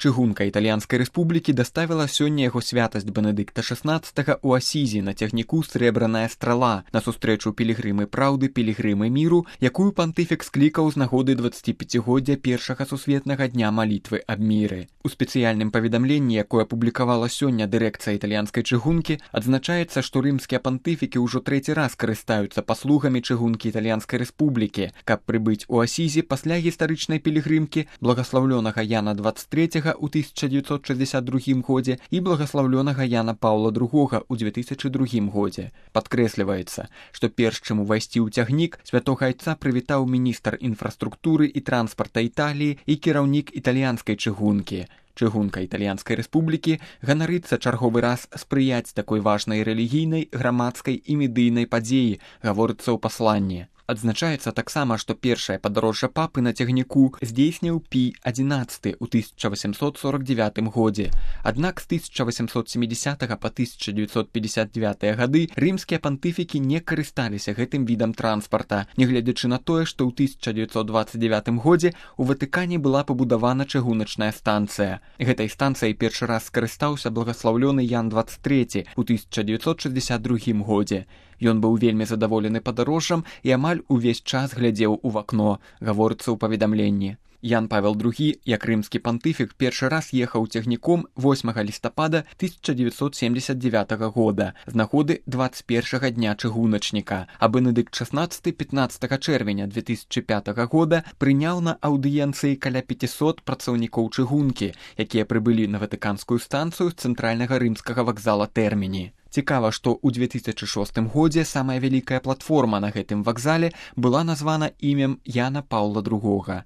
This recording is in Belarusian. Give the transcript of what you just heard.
Чыгунка Італьянскай рэспублікі даставіла сёння яго святасць Бенедыкта XVI ў Асізі на цягніку «Срэбраная страла» на сустрэчу пілігрымы праўды, пілігрымы міру, якую пантыфік склікаў з нагоды 25-годдзя першага сусветнага дня малітвы аб міры. У спецыяльным паведамленні, якое апублікавала сёння дырэкцыя італьянскай чыгункі, адзначаецца, што рымскія пантыфікі ўжо трэці раз карыстаюцца паслугамі чыгункі Італьянскай рэспублікі, каб прыбыць у Асізе пасля гістарычнай пілігрымкі благаслаўлёнага Яна 23 у 1962 годзе і благаслаўлёнага Яна Паўла II у 2002 годзе. Падкрэсліваецца, што перш чым увайсці ў цягнік, святога айца прывітаў міністр інфраструктуры і транспарта Італіі і кіраўнік італьянскай чыгункі. Чыгунка Італьянскай рэспублікі ганарыцца чарговы раз спрыяць такой важнай рэлігійнай, грамадскай і медыйнай падзеі, гаворыцца ў пасланні. Адзначаецца таксама, што першае падарожжа папы на цягніку здзейсніў Пій XI ў 1849 годзе. Аднак з 1870 па 1959 гады рымскія пантыфікі не карысталіся гэтым відам транспарта, нягледзячы на тое, што ў 1929 годзе у Ватыкане была пабудавана чыгуначная станцыя. Гэтай станцыяй першы раз скарыстаўся благаслаўлёны Ян 23 у 1962 годзе. Ён быў вельмі задаволены падарожжам і амаль увесь час глядзеў у вакно, гаворыцца ў паведамленні. Ян Павел II, як рымскі пантыфік, першы раз ехаў цягніком 8 лістапада 1979 года з нагоды 21-га дня чыгуначніка, а Бенедыкт XVI 15 чэрвеня 2005 года прыняў на аўдыенцыі каля 500 працаўнікоў чыгункі, якія прыбылі на ватыканскую станцыю з цэнтральнага рымскага вакзала Тэрміні. Цікава, што ў 2006 годзе самая вялікая платформа на гэтым вакзале была названа імем Яна Паўла II.